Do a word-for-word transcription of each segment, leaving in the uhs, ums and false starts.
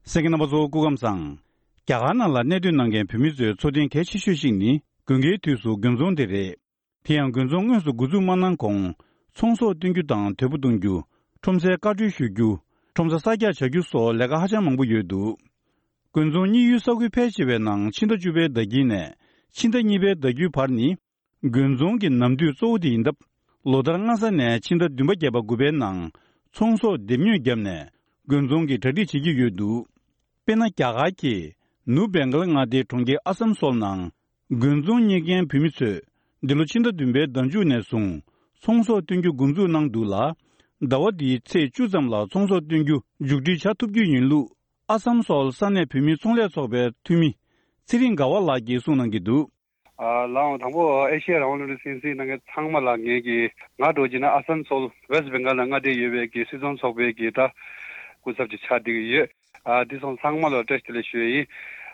གསན་མཁན་རྣམ་པ་ཚོ་སྐུ་ཁམས་བཟང་། རྒྱ་གར་ནང་ལ་གནས་སྡོད་གནང་མཁན་བོད་མི་ཚོའི་འཚོ་རྟེན་གལ་ཆེ་ཤོས་ཤིག་ནི་དགུན་ཁའི་དུས་སུ་དགུན་ཚོང་དེ་རེད། དེ་ཡང་དགུན་ཚོང་དངོས་སུ་འགོ་འཛུགས་མ་གནང་གོང་ཚོང་ཟོག་སྟོན་རྒྱུ་དང་དོས་པོ་གཏོང་རྒྱུ། ཁྲོམ་སའི་བཀའ་འཁྲོལ་ཞུ་རྒྱུ། ཁྲོམ་ས་གསར་རྒྱག་བྱ་རྒྱུ་སོགས་ལས་ཀ་ཧ་ཅང་མང་པོ་ཡོད་འདུག་དགུན་ཚོང་གཉིས་ཡུལ་ས་ཁུལ་ཕལ་ཆེ་བའི་ནང་ཕྱི་ཟླ་བཅུ་པའི་ཟླ་དཀྱིལ་ནས་ཕྱི་ཟླ་གཉིས་པའི་ཟླ་མཇུག་བར་ནི་དགུན་ཚོང་གི་ནམ་དུས་གཙོ་བོ་དེ་ཡིན་སྟབས། ལོ་ལྟར་སྔ་ས་ནས་ཕྱི་ཟླ་བདུན་པ་བརྒྱད་པ་དགུ་པའི་ནང་ཚོང་ཟོག་སྡེབ་ཉོས་བརྒྱབ་ནས་དགུན་ཚོང་གི་གྲ་སྒྲིག་བྱེད་ཀྱི་ཡོད་འདུག་དཔེར་ན། རྒྱ་གར་གྱི་ནུབ་བེང་གལ་མངའ་སྡེའི་གྲོང་ཁྱེར་ཨ་སམ་སོལ་ནང་དགུན་ཚོང་གཉེར་མཁན་བོད་མི་ཚོས་འདི་ལོ་ཕྱི་ཟླ་བདུན་པའི་ཟླ་མཇུག་ནས་བཟུང་ཚོང་ཟོག་སྟོན་རྒྱུ་འགོ་འཛུགས་གནང་འདུག་ལ། ཟླ་བ་འདིའི་ཚེས་བཅུ་ཙམ་ལ་ཚོང་ཟོག་སྟོན་རྒྱུ་མཇུག་སྒྲིལ་བྱ་ཐུབ་རྒྱུ་ཡིན་ལུགས་ཨ་སམ་སོལ་ས་གནས་བོད་མིའི་ཚོང་ལས་ཚོགས་པའི་འཐུས་མི་ཚེ་རིང་དགའ་བ་ལགས་ཀྱིས་གསུངས་གནང་གི་འདུག་ཨ། ལགས་འོང་། དང་པོ་ཨེ་ཤེ་ཡ་རང་དབང་རླུང་འཕྲིན་གསན་གཟིགས་གནང་མཁན་ཚང་མ་ལ་ངེད་ཀྱིས་ང་འདྲ་བོ་བྱས་ན་ཨ་སམ་སོལ་ཝེ་སི་བེང་གལ་ལ་མངའ་སྡེ་ཡོད་པའི་གི་སུད་ཚོང་ཚོགས་པའི་གི་ད་སྐུ་ཚབ་ཅིག་ཆགས་བསྡད་ཀྱི་ཡོད། ཨ། འདི་སོང་ཚང་མ་ལ་བཀྲ་ཤིས་བདེ་ལེགས་ཞུ་ཡས་ཡིན།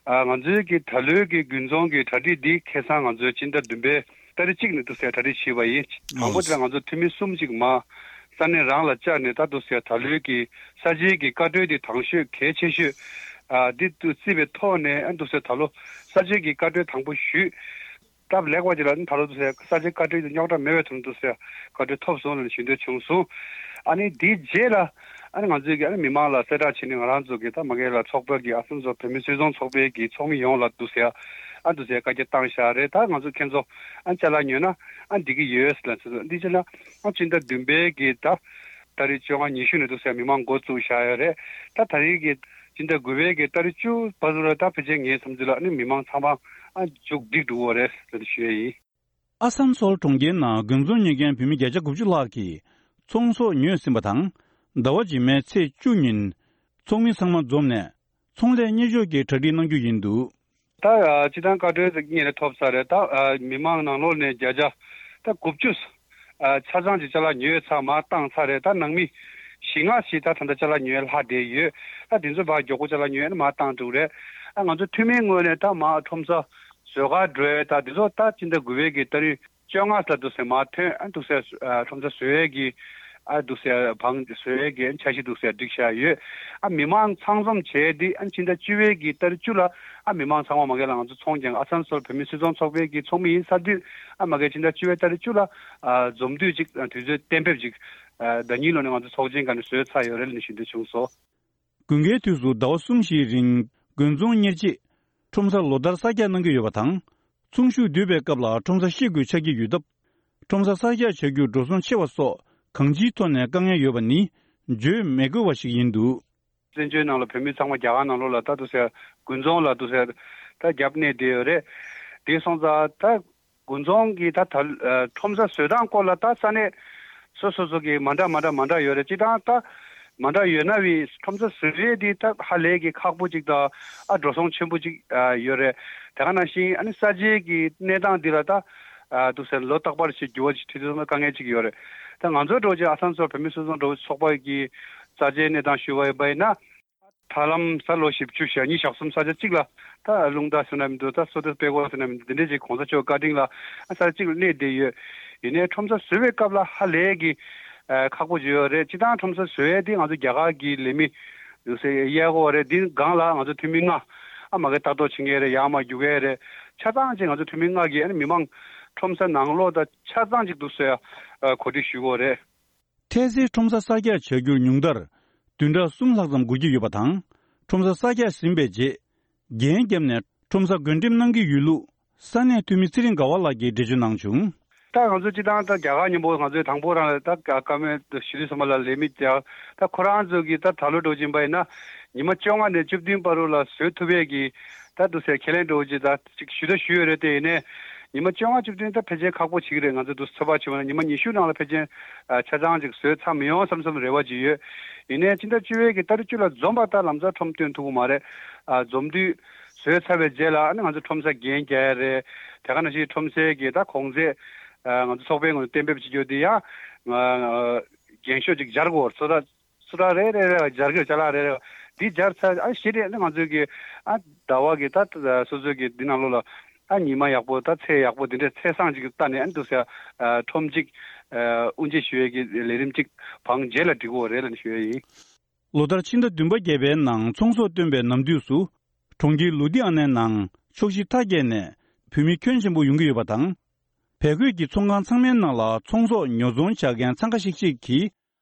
ཨ། ང་ཚོའི་གི་ད་ལོའི་གི་དགུན་ཚོང་གི་གྲ་སྒྲིག་འདི་ཁ་སང་ང་ཚོའི་སྤྱི་ཟླ་བདུན་པའི་ཏ་རིག་གཅིག་ནས་འདུག་སེ་གྲ་སྒྲིག་བྱས་པ་ཡིན། དང་པོ་དེ་ལ་ང་ཚོ་འཐུས་མི་གསུམ་ཅིག་མ་ས་གནས་རང་ལ་བཅར་ནས་ད་འདུག་སེ་ད་ལོའི་གི་ས་ཆའི་གི་བཀའ་འཁྲོལ་འདི་དང་ཤོས་གལ་ཆེ་ཤོས། ཨ། འདི་འདུག་བརྩིས་པའི་ཐོག་ནས་ཨ་འདུག་སེ་ད་ལོ་ས་ཆའི་གི་བཀའ་འཁྲོལ་དང་པོ་ཞུས། སྟབས་ལེགས་པ་ཅིག་ལ་ནི་ད་ལོ་འདུག་སེ་ས་ཆའི་བཀའ་འཁྲོལ་དེ་རྙོག་དྲ་མེད་པའི་ཐོག་ནས་འདུག་སེ་བཀའ་འཁྲོལ་ཐོབ་སོང་ལ་ནི་ཞུ་འདོད་བྱུང་སོང་། ཨ་ནི་དེའི་རྗེས་ལ་ཨ་ནི་ང་ཚོས་ཀྱི་ཨ་ནི་མི་མང་ལ་གསལ་བསྒྲགས་བྱས་ནས་ང་རང་ཚོ་གི་ད་མ་གི་ལ་ཚོགས་པ་གི་ཨ་སམ་སོལ་བོད་མི་སུད་ཚོང་ཚོགས་པའི་གི་ཚོགས་མི་ཡོངས་ལ་འདུག་སེ་ཨ་འདུག་སེ་བཀའ་རྒྱ་བཏང་བཞག་རེད། ད་ང་ཚོ་ཁྱེད་ཚོ་ཨ་ཅ་ལག་ཉོས་ན་ཨ་འགྲིག་གི་ཡོད་ལ་ཚོད་འདི་བྱས་ན་ཨ་སྤྱི་ཟླ་བདུན་པའི་གི་ད་ཏ་རིག་བཅོ་ལྔ་ཉི་ཤུ་ནས་འདུག་སེ་མི་མང་འགོ་བཙུགས་བཞག་ཡོད་རེད། ད་ད་རེས་གི་སྤྱི་ཟླ་དགུ་པའི་གི་ཏ་རིག་བཅུ་བར་དུ་ལ་ད་ཕལ་ཆེར་ངའི་བསམ་ཚུལ་ལ་ཨ་ནི་མི་མང་ཚང་མ་ཨ་མཇུག་བསྒྲིལ་འགྲོ་གི་རེད་ཟེར་ཞུ་ཡས་ཡིན། ཨ་སམ་སོལ་གྲོང་ཁྱེར་ནང་དགུན་ཚོང་ཉོ་མཁན་བོད་མི་བརྒྱ་ཆ་དགུ་བཅུ་ལྷག་གིས་ཚོང་ཟོག་ཉོས་ཟིན་པ་དང་། ཟླ་བ་རྗེས་མའི་ཚེས་བཅུ་ཉིན་ཚོགས་མི་ཚང་མ་འཛོམས་ནས་ཚོང་ལས་གཉེར་ཕྱོགས་ཀྱི་གྲ་སྒྲིག་གནང་རྒྱུ་ཡིན་འདུག་ད་སྤྱི་བཏང་བཀའ་འཁྲོལ་དེ་སྔོན་ནས་ཐོབ་ཚར་རེད། ད་མི་མང་ནང་ལོགས་ནས་བརྒྱ་ཆ་ད་དགུ་བཅུ་ཆ་ཚང་ཅིག་ཅ་ལག་ཉོས་ཚར་མར་བཏང་ཚར་རེད། ད་ནང་མི་བཞི་ལྔ་ཞིག་ད་ད་ལྟ་ཅ་ལག་ཉོས་ལྷག་བསྡད་ཡོད། ད་དེ་ཚོ་ཕར་མགྱོགས་པོ་ཅ་ལག་ཉོས་ནས་མར་བཏང་འགྲོ་གི་རེད། ཨ་ང་ཚོ་འཐུས་མིའི་ངོས་ནས་ད་མར་ཁྲོམ་ས་བཟོ་གར་འགྲོ་ཡས་ད་དེ་ཚོ་ད་སྤྱི་ཟླ་དགུ་པའི་གི་ཏ་རིག་བཅོ་ལྔ་ལ་འདུག་སེ་མར་ཐོན། ཨ་འདུག་སེ་ཨ་ཁྲོམ་ས་བཟོ་ཡས་ཀྱི་ཨ་འདུག་སེ་བང་བཟོ་ཡས་ཀྱི་འཆར་གཞི་འདུག་སེ་སྒྲིག་བཞག་ཡོད། ཨ་མི་མང་ཚང་འཛོམས་བྱས་ཏེ་ཨ་ཕྱི་ཟླ་བཅུ་པའི་གི་ཏ་རིག་བཅུ་ལ་ཨ་མི་མང་ཚང་མ་མ་གི་ལ་ང་ཚོ་ཚོང་རྒྱག་ཨ་སམ་སོལ་བོད་མི་སུད་ཚོང་ཚོགས་པའི་གི་ཚོགས་མི་ཡིན་ས་དུས་ཨ་མ་གི་ཕྱི་ཟླ་བཅུ་པའི་ཏ་རིག་བཅུ་ལ་ཨ་འཛོམས་དུས་ཅིག་ཨ་དུས་ཚོད་གཏན་འབེབས་ཅིག་ཨ་ཟླ་ཉིན་ལོ་ནས་ང་ཚོ་ཚོགས་ཆེན་སྒང་ནས་བཟོས་ཚར་ཡོད་རེད་ལབ་ནས་ཞུ་འདོད་བྱུང་སོང་། དགུན་ཁའི་དུས་སུ་ཟླ་བ་གསུམ་བཞིའི་རིང་དགུན་ཚོང་གཉེར་ཆེད་ཁྲོམ་ས་ལོ་ལྟར་གསར་རྒྱག་གནང་གི་ཡོད་པ་དང་། ཚོང་ཤུགས་སྡུད་པའི་སྐབས་ལ་ཁྲོམ་ས་ཤེད་དགོས་ཆགས་ཀྱི་ཡོད་སྟབས། ཁྲོམ་ས་གསར་རྒྱག་བྱ་རྒྱུར་འགྲོ་སོང་ཆེ་བ་སོགས་གང་ཅིའི་ཐོག་ནས་དཀའ་ངལ་ཡོད་པ་ནི་བརྗོད་མི་དགོས་པ་ཞིག་ཡིན་འདུག་བཙན་བྱོལ་ནང་ལ་བོད་མི་ཚང་མ་རྒྱ་གར་ནང་ལོགས་ལ་ད་འདུག་སེ་དགུན་ཚོང་ལ་འདུག་སེ་ད་རྒྱབ་གནས་བསྡད་ཡོད་རེད། དེ་སོང་ཙང་ད་དགུན་ཚོང་གི་ད་ད་ཨ་ཁྲོམ་ས་བཟོ་སྟངས་སྐོར་ལ་ད་ས་གནས་སོ་སོ་སོ་གི་མ་འདྲ་མ་འདྲ་མ་འདྲ་ཡོད་རེད། སྤྱིར་བཏང་ད་མ་འདྲ་ཡོད་ན་བའི་ཁྲོམ་ས་བཟོ་ཡས་དེ་ད་ཧ་ལས་ཀྱི་ཁག་པོ་ཅིག་དང་ཨ་འགྲོ་སོང་ཆེན་པོ་ཅིག་ཨ་ཡོད་རེད། དེ་ག་ནང་བཞིན་ཨ་ནི་ས་ཆའི་གི་གནས་སྟངས་འདི་ལ་ད་ཨ་འདུག་སེ་ལོ་རྟག་པར་ཞིག་འགྱུར་བ་ཞིག་འཕྲད་དུས་ཙམ་ལ་དཀའ་ངལ་ཅིག་ཡོད་རེད། ད་ང་ཚོའི་འགྲོ་ཆེད་ཨ་སམ་སོལ་བོད་མི་སུད་ཚོང་འགྲོ་ཚོགས་པ་གི་ས་ཆའི་གནས་སྟངས་ཞུ་བ་ཡིན་པ་ཡིན་ན། ཐར་ལམ་ས་ལོ་བཞི་བཅུ་ཞེ་གཉིས་ཞག་གསུམ་ས་ཆ་གཅིག་ལ་ད་རླུང་རྟ་ཟེར་ན་མི་འདུག་ད་སོ་ཏ་དཔལ་འཁོར་ཟེར་ན་མི་འདུག་དེ་འདྲས་ཅིག་གོང་ས་མཆོག་བཀའ་དྲིན་ལ་ས་ཆ་གཅིག་ལ་གནས་བསྡད་ཡོད། ཡིན་ནའི་ཁྲོམ་ས་བཟོ་བའི་སྐབས་ལ་ཧ་ལས་ཀྱི་ཁག་པོ་ཅིག་ཡོད་རེད། སྤྱིར་བཏང་ཁྲོམ་ས་བཟོ་ཡས་དེ་ང་ཚོ་རྒྱ་གར་གྱི་ལས་མི་ཡོད་སའི་གཡས་སྐོར་རེད། འདི་སྒང་ལ་ང་ཚོ་འཐུས་མི་ལྔ་ཨ་མ་གི་ལྟ་རྟོག་བྱེད་མཁན་རེད། ཡར་མར་རྒྱུག་མཁན་རེད། ཆ་ཚང་ཅིག་ང་ཚོ་འཐུས་མི་ལྔ་གིས་ཨ་ནི་མི་མང་ཁྲོམ་ས་ནང་ལོགས་དང་ཆ་ཚང་ཅིག་འདུག་སེ་གོ་སྒྲིག་ཞུ་དགོས་རེད། འཕྲལ་སེལ་ཁྲོམ་ས་གསར་རྒྱག་བྱ་རྒྱུར་ཉུང་མཐར་བདུན་ཕྲག་གསུམ་ལྷག་ཙམ་འགོར་གྱི་ཡོད་པ་དང་། ཁྲོམ་ས་གསར་རྒྱག་ཟིན་པའི་རྗེས། འགན་བརྒྱབ་ནས་ཁྲོམ་ས་བགོ་འགྲེམས་གནང་གི་ཡོད་ལུགས་ས་གནས་འཐུས་མི་ཚེ་རིང་དགའ་བ་ལགས་ཀྱིས་འགྲེལ་བརྗོད་གནང་བྱུང་། ད་ང་ཚོ་སྤྱིར་བཏང་ད་རྒྱ་གར་མཉམ་པོ་ང་ཚོའི་དང་པོ་རང་ལ་ད་བཀའ་མོལ་ཞུ་དུས་ཙམ་པ་ལ་ལས་མི་རྒྱག་ད་ཁོ་རང་ཚོ་གིས་ད་ད་ལོ་འགྲོ་བཞིན་པ་ཡིན་ན་ཉི་མ་བཅོ་ལྔ་ནས་བཅུ་བདུན་བར་དུ་ལ་བཟོ་ཐུབ་པའི་གི་ད་འདུག་སེ་ཁས་ལེན་འགྲོ་ཅིག་ད་ཅིག་ཞུ་ད་ཞུས་ཡོད་རེད། དེ་ཡིན་ནའི་ཉི་མ་བཅོ་ལྔ་བཅུ་བདུན་ད་ཕལ་ཆེར་ཁག་པོ་ཅིག་རེད། ང་ཚོ་འདུག་ཚོད་དཔག་བྱས་པ་ན་ཉི་མ་ཉི་ཤུ་ནང་ལ་ཕལ་ཆེར་ཨ་ཆ་ཚང་ཅིག་བཟོས་ཚར་མི་ཡོང་བསམ་བསམ་རེ་བ་ཅིག་ཡོད། ཡིན་ནའི་སྤྱི་ཟླ་བཅུ་པའི་གི་ཏ་རིག་བཅུ་ལ་འཛོམས་པ་ད་ལམ་སང་ཁྲོམ་སྟོན་ཐུབ་ཀྱི་མ་རེད། ཨ་འཛོམས་དུས་བཟོས་ཚར་བའི་རྗེས་ལ་ཨ་ནི་ང་ཚོ་ཁྲོམ་ས་འགན་རྒྱག་ཡ་རེད། དེ་ག་ནང་བཞིན་ཁྲོམ་སའི་གི་ད་གོང་ཚད་ཨ་ང་ཚོ་ཚོགས་པའི་ངོས་ནས་གཏན་འབེབས་བྱེད་རྒྱུ་དེ་ཡང་ཨ་འགན་ཤོག་ཅིག་སྦྱར་དགོས་སོ། ད་སོ་ད་རེ་རེ་རེ་སྦྱར་གི་ཅ་ལག་རེ་རེ་འདི་སྦྱར་ཚར། ཨ་གཞི་རེད་ནི་ང་ཚོའི་གི་ཨ་ཟླ་བ་གི་ད་སོ་སོའི་གི་འདི་ནང་ལོགས་ལ་ཨ་ཉི་མ་ཡག་པོ་ད་ཚེས་ཡག་པོ་འདི་འདྲའི་ཚེས་བཟང་ཅིག་ལྟ་ནས་ཨ་འདུག་ཟེར་ཨ་ཁྲོམ་གཅིག་ཨ་དབུ་འབྱེད་ཞུ་ཡས་གི་ལས་རིམ་གཅིག་བང་རྗེས་ལ་འགྲིག་གི་རེད་ལབ་ནས་ཞུ་ཡས་ཡིན། ལོ་ལྟར་ཕྱི་ཟླ་བདུན་པ་བརྒྱད་པའི་ནང་ཚོང་ཟོག་བཏོན་པའི་ནམ་དུས་སུ། གྲོང་ཁྱེར་ལུ་དི་ཨ་ནའི་ནང་ཕྱོགས་བཞི་མཐའ་བརྒྱད་ནས་བོད་མི་ཁྱོན་ཆེན་པོ་ཡོང་གི་ཡོད་པ་དང་། བལ་གོས་ཀྱི་ཚོང་ཁང་ཚང་མའི་ནང་ལ་ཚོང་ཟོག་ཉོ་ཚོང་བྱ་མཁན་འཚང་ཁ་ཤིག་ཤིག་གིས་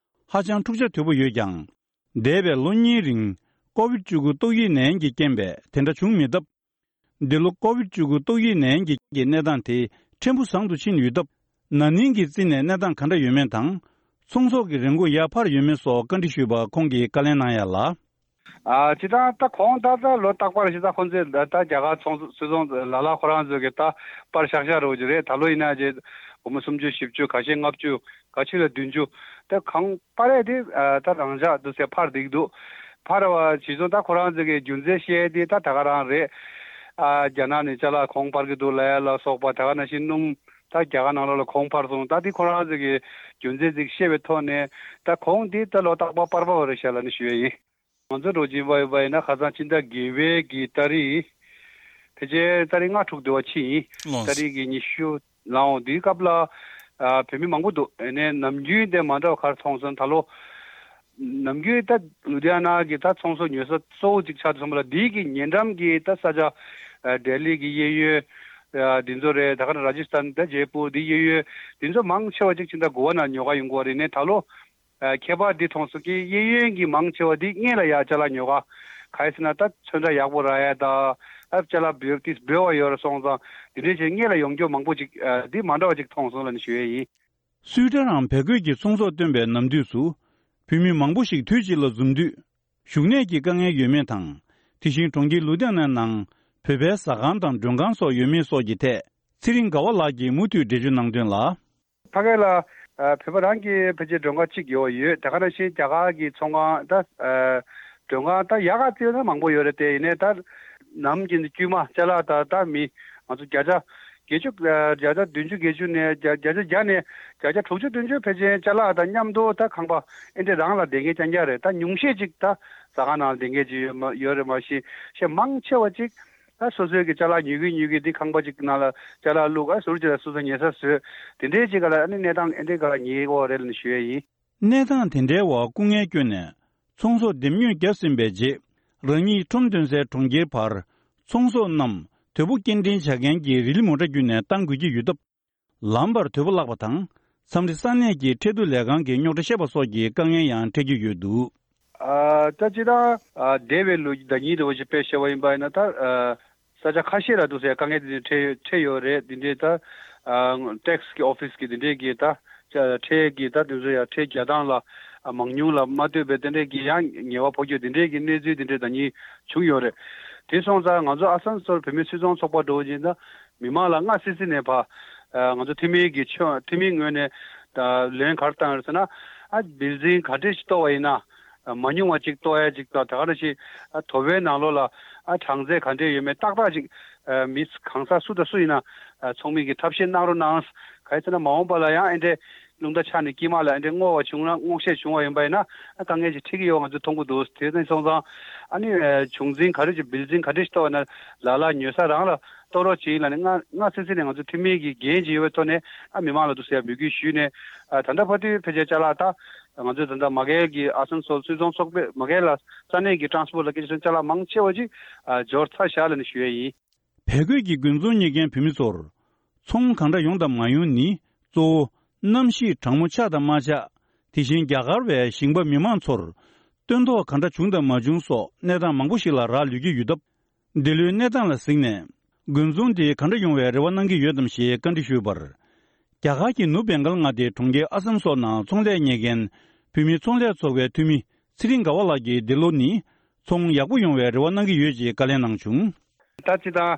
ཧ་ཅང་འཁྲུག་ཆ་དོད་པོ་ཡོད་ཀྱང་། འདས་པའི་ལོ་གཉིས་རིང་ཀོ་བིད་བཅུ་དགུ་ཏོག་དབྱིབས་ནད་ཡམས་ཀྱི་རྐྱེན་པས་དེ་འདྲ་བྱུང་མེད་སྟབས། འདི་ལོ་ཀོ་བིད་བཅུ་དགུ་ཏོག་དབྱིབས་ནད་ཡམས་ཀྱི་གནས་སྟངས་དེ་ཕྲན་བུ་བཟང་དུ་ཕྱིན་ཡོད་སྟབས། ན་ནིང་གི་རྩིས་ནས་གནས་སྟངས་ག་འདྲ་ཡོད་མེད་དང་། ཚོང་ཟོག་གི་རིན་གོང་ཡར་འཕར་ཡོད་མེད་སོགས་བཀའ་འདྲི་ཞུས་པར་ཁོང་གིས་བཀའ་ལན་གནང་ཡ་ལ། ཨ་སྤྱིར་བཏང་ད་གོང་ད་ལྟ་ལོ་རྟག་པར་ཞིག་ད་ཁོང་ཚོས་ད་ད་རྒྱ་གར་ཚོང་སུད་ཚོང་ལ་ལ་ཁོ་རང་ཚོས་ཀྱི་ད་པར་ཤག་ཤག་རོགས་ཀྱི་རེད། ད་ལོ་ཡིན་ན་ཅེ་སྒོར་མོ་སུམ་ཅུ་བཞི་བཅུ་ཁ་ཤས་ལྔ་བཅུ་ཁ་ཤས་ལ་བདུན་ཅུ། ད་གང་པར་རེད་དེ་ད་རང་འཇགས་འདུག་ཟེར་འཕར་བསྡད་འདུག་འཕར་བ་ཇི་བཟུང་ད་ཁོ་རང་ཚོས་ཀྱི་རྒྱུ་མཚན་བཤད་དེ་ད་ད་ག་རང་རེད། ཨ་རྒྱ་ནག་ནས་ཅ་ལག་གོང་འཕར་གྱི་འདུག་ལབ་ཡ་ལ་སོགས་པ་ད་ག་ནང་བཞིན་སྣུམ་ད་རྒྱ་གར་ནང་ལོགས་ལ་གོང་འཕར་སོང་། ད་དེ་ཁོ་རང་ཚོས་ཀྱི་རྒྱུ་མཚན་ཅིག་བཤད་པའི་ཐོག་ནས་ད་གོང་དེ་ད་ལོ་རྟག་པར་པར་པ་བ་རེད་ཤག་ལབ་ནས་ཞུ་ཡ་ཡིན། ང་ཚོ་འགྲོ་བཞིན་པ་ཡིན་པ་ཡིན་ན་ཁ་སང་ཕྱི་ཟླ་བརྒྱད་པའི་གི་ཏ་རིག་ཕལ་ཆེར་ཏ་རིག་ལྔ་དྲུག་དེ་བ་ཕྱིན་ཡིན། ལོངས། ཏ་རིག་གི་ཉི་ཤུ་ལའང་དེའི་སྐབས་ལ་ཨ་བོད་མི་མང་པོ་འདུག་ཨ་ནས་ནམ་རྒྱུན་དེ་མ་འདྲ་བ་གར་མཐོང་སོང་། ད་ལོ་ནམ་རྒྱུན་ད་ལུ་དྷི་ཡ་ན་གི་ད་ཚོང་ཟོག་ཉོ་ས་གཙོ་བོ་གཅིག་ཆགས་སོང་བ་ལ་དེའི་གི་ཉེ་འགྲམ་གི་ད་ས་ཆ་ཨ་ལྡི་ལི་གི་གཡས་གཡོན་ཨ་དེ་ཚོ་རེད། ད་ག་ནང་ར་ཇི་སི་ཐན་ད་ཇེ་པུར་དེ་གཡས་གཡོན་དེ་ཚོ་མང་ཆེ་བ་གཅིག་ཕྱི་ཟླ་དགུ་པ་ནང་ཉོ་ག་ཡོང་གི་ཡོད་རེད། ནས་ད་ལོ། ཨ་ཁྱད་པར་འདི་མཐོང་སོང་གི་གཡས་གཡོན་གྱི་མང་ཆེ་བ་འདི་སྔོན་ལ་ཡ་ཅ་ལག་ཉོ་ག་ག་ཡི་ཟེར་ན་ད་ཚོན་ཁྲ་ཡག་པོ་རག་ཡ་ད་ཨ་ཅ་ལག་འབེལ་ཏིས་འབེལ་བ་ཡོད་ར་སོང་ཙང་འདི་འདྲའི་ཆེད་སྔོན་ལ་ཡོང་རྒྱུ་མང་པོ་ཅིག་ཨ་འདི་མ་འདྲ་བ་ཅིག་མཐོང་སོང་ལབ་ནས་ཞུ་ཡས་ཡིན། སུའི་ཊར་རམ་བལ་གོས་ཀྱི་ཚོང་ཟོག་བཏོན་པའི་ནམ་དུས་སུ་བོད་མི་མང་པོ་ཞིག་དུས་གཅིག་ལ་འཛོམས་དུས་བཞུགས་གནས་ཀྱི་དཀའ་ངལ་ཡོད་མེད་དང་། དེ་བཞིན་གྲོང་ཁྱེར་ལུ་དྷི་ཡ་ནའི་ནང་བོད་པའི་ཟ་ཁང་དང་མགྲོན་ཁང་སོགས་ཡོད་མེད་སོགས་ཀྱི་ཐད་ཚེ་རིང་དགའ་བ་ལགས་ཀྱིས་མུ་མཐུད་འགྲེལ་བརྗོད་གནང་དོན་ལ། ཕ་གི་ལ་ཨ་བོད་པ་རང་གི་ཕལ་ཆེར་མགྲོན་ཁང་གཅིག་ཡོད་ཡོད། དེ་ག་ནང་བཞིན་རྒྱ་གར་གྱི་ཚོང་ཁང་ད་ཨ་མགྲོན་ཁང་ད་ཡག་ག་བརྩིས་ན་མང་པོ་ཡོད་རེད། དེ་ཡིན་ནའི་ད་ནམ་རྒྱུན་དུ་དཀྱུས་མ་ཅ་ལག་ད་ད་མི་ང་ཚོ་བརྒྱ་ཆ་བརྒྱད་ཅུ་ཨ་བརྒྱ་ཆ་བདུན་ཅུ་བརྒྱད་ཅུ་ནས་བརྒྱ་བརྒྱ་ཆ་བརྒྱ་ནས་བརྒྱ་ཆ་དྲུག་ཅུ་བདུན་ཅུ་ཕལ་ཆེར་ཅ་ལག་དང་མཉམ་དུ་ད་ཁང་པ་ཨེ་འདྲས་རང་ལ་བསྡད་མཁན་རྐྱང་རྐྱང་རེད། ད་ཉུང་ཤས་ཅིག་ད་ཟ་ཁང་ནང་ལ་བསྡད་མཁན་ཅིག་ཡོད་མ་ཡོད་རེད། མ་གཞི་ཤས་མང་ཆེ་བ་ཅིག་ད་སོ་སོའི་གི་ཅ་ལག་ཉོས་གི་ཉོས་གི་དེ་ཁང་པ་ཅིག་ནང་ལ་ཅ་ལག་བླུགས། ཨ་ཟུར་ཅིག་ལ་སོ་སོ་ཉལ་ས་བཟོས། དེ་འདྲའི་ཅིག་ག་ལ་ཨ་ནི་གནས་སྟངས་ཨེ་འདྲའི་ག་ལ་ཉེ་བོ་རེད་ལབ་ནས་ཞུ་ཡས་ཡིན། གནས་སྟངས་དེ་འདྲའི་འོག་སྐུ་ངལ་བསྐྱོན་ནས་ཚོང་ཟོག་འདེམས་ཉོས་བརྒྱབ་ཟིན་པའི་རྗེས། རང་ཉིད་ཁྲོམ་འདོན་སའི་གྲོང་ཁྱེར་བར་ཚོང་ཟོག་རྣམས་དོལ་པོ་སྐྱེལ་འདྲེན་བྱ་མཁན་གྱི་རི་ལི་མོ་ཊ་བརྒྱུད་ནས་བཏང་དགོས་ཀྱི་ཡོད་སྟབས། ལམ་བར་དོལ་པོ་བརླག་པ་དང་། མཚམས་རེ་ས་གནས་ཀྱི་ཁྲལ་བསྡུ་ལས་ཁང་གི་རྙོག་དྲ་བཤད་པ་སོགས་ཀྱི་དཀའ་ངལ་ཡང་འཕྲད་ཀྱི་ཡོད་འདུག་ཨ་ད་སྤྱིར་བཏང་ཨ་འདས་པའི་ལོ་ཟླ་ཉིན་འདྲ་བོ་ཞིག་དཔེ་བཤད་པ་ཡིན་པ་ཡིན་ན་ད་ཨ་ས་ཆ་ཁ་ཤས་ལ་འདུག་སའི་དཀའ་ངལ་དེ་འདྲ་འཕྲད་འཕྲད་ཡོད་རེད། དེ་འདྲའི་ད་ཨ་ཊེག་སི་གི་ཨོ་ཕི་སི་གི་དེ་འདྲའི་གི་ད་ཁྲལ་གི་ད་དེ་ཚོ་ཡང་ཁྲལ་རྒྱག་སྟངས་ལ་ཨ་མང་ཉུང་ལ་མ་ལྟོས་པའི་དེ་འདྲའི་གི་ཡང་ཉེས་པ་ཕོག་རྒྱུ་དེ་འདྲའི་གི་གནས་ཚུལ་དེ་འདྲའི་ཟླ་ཉིན་བྱུང་ཡོད་རེད། དེ་སོང་ཙང་ང་ཚོ་ཨ་སན་སོལ་བོད་མི་སུད་ཚོང་ཚོགས་པ་འདྲ་བོ་ཅིག་ད། མི་མང་ལ་སྔ་སི་སི་ནས་ཕ། ཨ་ང་ཚོ་འཐུས་མི་གི་ཆོས་འཐུས་མིའི་ངོས་ནས་ད་ལན་ག་རེ་བཏང་ཡོད་ཟེར་ན། ཨ་བིལ་ཌིང་ག་འདྲས་ཤིག་གཏོར་བ་ཡིན་ན། ཨ་མ་ཉུང་བ་ཅིག་གཏོར་ཡ་ཅིག་དང་། ད་ག་ནང་བཞིན་ཨ་དོ་པོའི་ནང་ལོགས་ལ་ཨ་གྲངས་ཚད་ག་འདྲས་ཡོད་མེད་ཏག་ཏག་ཅིག་ཨ་མི་གང་ཟག་སུ་དང་སུ་ཡིན་ན་ཨ་ཚོགས་མི་གིས་ཐབས་ཤེས་གནང་རོགས་གནང་། ག་རེ་ཟེར་ན་མ་འོངས་པ་ལ་ཡང་ཨེ་འདྲས་རླུང་རྟ་ཆག་ནས་དཀྱིལ་མ་ལ་ཨེ་འདྲས་སྔོ་བ་བྱུང་ན་སྔོག་བཤེར་བྱུང་བ་ཡིན་པ་ཡིན་ན་ཨ་དཀའ་ངལ་ཅིག་འཕྲད་ཀྱི་ཡོད་པ་ང་ཚོས་མཐོང་གི་འདུག་དེ་ནས་སོང་ཙང་ཨ་ནི་ཨ་བྱུང་འཛིན་ག་འདྲས་ཅིག་བིལ་ཌིང་ག་འདྲས་ཤིག་གཏོར་བ་ན་ལ་ལ་ཉོ་ས་རང་ལ། གཏོར་རོགས་བྱེད་ཡིན་ལབ་ནས་སྔ་སྔ་ཚེ་ཚེ་ནས་ང་ཚོ་འཐུས་མི་གི་འགན་ཅིག་ཡོད་པའི་ཐོག་ནས་ཨ་མི་མང་ལ་འདུག་ཟེར་འབོད་སྐུལ་ཞུས་ནས་ཨ་ད་ལྟ་བར་དུ་ཕལ་ཆེར་ཅ་ལག་ད་ང་ཚོས་ད་ལྟ་མ་གལ་གྱི་ཨ་སན་སོལ་སུད་ཚོང་ཚོགས་པས་མ་གལ་ལ་ས་གནས་ཀྱི་ཊ་རན་སི་པོར་ཊ་ལ་སྐད་ཆ་ཅ་ལག་མང་ཆེ་བ་ཅིག་ཨ་འབྱོར་ཚར་བཞག་ལབ་ནས་ཞུ་ཡས་ཡིན། བལ་གོས་ཀྱི་དགུན་ཚོང་གཉེར་མཁན་བོད་མི་ཚོར་ཚོང་གང་འདྲ་ཡོང་དང་མ་ཡོང་ནི་གཙོ་བོ་གནམ་གཤིས་གྲང་མོ་ཆགས་དང་མ་ཆགས། དེ་བཞིན་རྒྱ་གར་བའི་ཞིང་པ་མི་མང་ཚོར་སྟོན་ཐོག་གང་འདྲ་བྱུང་དང་མ་བྱུང་སོགས་གནས་སྟངས་མང་པོ་ཞིག་ལ་རག་ལུས་ཀྱི་ཡོད་སྟབས། འདི་ལོའི་གནས་སྟངས་ལ་གཟིགས་ནས། དགུན་ཚོང་དེ་ག་འདྲ་ཡོང་བའི་རེ་བ་གནང་གི་ཡོད་དམ་ཞེས་བཀའ་འདྲི་ཞུས་པར། རྒྱ་གར་གྱི་ནུབ་བེང་གལ་མངའ་སྡེའི་གྲོང་ཁྱེར་ཨ་སམ་སོགས་ནང་ཚོང་ལས་གཉེར་མཁན་བོད་མིའི་ཚོང་ལས་ཚོགས་པའི་འཐུས་མི་ཚེ་རིང་དགའ་བ་ལགས་ཀྱིས་འདི་ལོ་ནི་ཚོང་ཡག་པོ་ཡོང་བའི་རེ་བ་གནང་གི་ཡོད་ཅེས་བཀའ་ལན་གནང་བྱུང་། ད་ཅི་དང་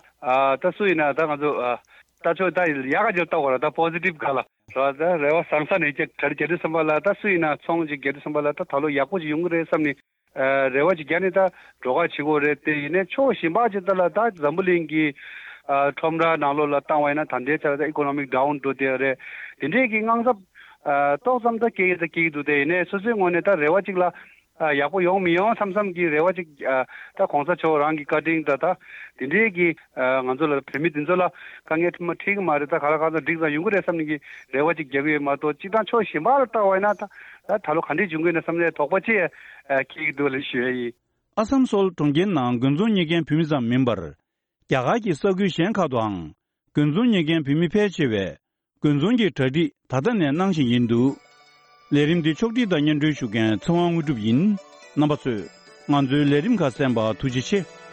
ད་སུ་ཡིན་ན་ད་ང་ཚོ་ད་ཆོག་ད་ཡག་ག་ཅིག་ལྟ་དགོས་ར། ད་པོ་སི་ཊིབ་ག་ལ་ར། ད་རེ་བ་བཟང་ས་ནས་རྒྱ་རྒྱ་དུས་ཙམ་པ་ལ་ད་སུ་ཡིན་ན་ཚོང་ཅིག་རྒྱ་དུས་ཙམ་པ་ལ་ད་ད་ལོ་ཡག་པོ་ཅིག་ཡོང་གི་རེད་བསམ་ནས། ཨ་རེ་བ་ཅིག་རྒྱག་ནས་ད་འགྲོ་ཁ་བྱེད་དགོས་རེད། དེ་ཡིན་ནའི་ཕྱོགས་གཞན་པ་ཅིག་ད་ལ་ད་འཛམ་བུ་གླིང་གི་ཨ་ཁྲོམ་ར་ནང་ལོགས་ལ་བཏང་བ་ཡིན་ན་ད་ལྟའི་ཆར་ད་ཨི་ཀོ་ནོ་མིག་ཌའུན་འགྲོ་བསྡད་རེད། དེ་འདྲས་ཀྱི་དངངས་འཚབ་ཨ་ཏོག་ཙམ་ད་སྐྱེ་གི་ད་སྐྱེ་གི་འདུག་དེ་ཡིན་ནའི་སོ་སོའི་ངོས་ནས་ད་རེ་བ་ཅིག་ལ་ཨ་ཡག་པོ་ཡོང་མི་ཡོང་བསམ་བསམ་གྱི་རེ་བ་ཅིག་ཨ་ད་གོང་ས་མཆོག་རང་གི་བཀའ་དྲིན་ད་ད་དེ་འདྲས་ཀྱི་ཨ་ང་ཚོ་ལ་བོད་མི་དེ་ཚོ་ལ་དཀའ་ངལ་ཐུག་མ་འཕྲད་གི་མ་རེད། ད་ག་ལ་ག་ཚོད་འགྲིག་ཙང་ཡོང་གི་རེད་བསམ་ནས་ཀྱི་རེ་བ་ཅིག་རྒྱག་གི་ཡོད་མ་གཏོགས། སྤྱིར་བཏང་ཕྱོགས་གཞན་པ་ལ་བལྟ་བ་ཡིན་ན་ད་ ད་ད་ལོ་ག་འདྲས་འབྱུང་གི་ཡོད་ན་བསམ་ནས་དོགས་པ་ཅིག་སྐྱེ་གི་འདུག་ལ་ཞུ་ཡ་ཡིན། ཨ་སམ་སོལ་གྲོང་ཁྱེར་ནང་དགུན་ཚོང་གཉེར་མཁན་བོད་མི་ཙམ་མིན་པར། རྒྱ་གར་གྱི་ས་ཁུལ་གཞན་ཁག་ཏུའང་དགུན་ཚོང་གཉེར་མཁན་བོད་མི་ཕལ་ཆེ་བས་དགུན་ཚོང་གི་གྲ་སྒྲིག་ད་ལྟ་ནས་གནང་བཞིན་ཡིན་འདུག་ལས་རིམ་འདི་ཕྱོགས་སྒྲིག་དང་སྙན་སྒྲོན་ཞུ་མཁན་ཚེ་དབང་དངོས་གྲུབ་ཡིན། རྣམ་པ་ཚོས་ང་ཚོའི་ལས་རིམ་ཁག་གསན་པར་ཐུགས་རྗེ་ཆེ།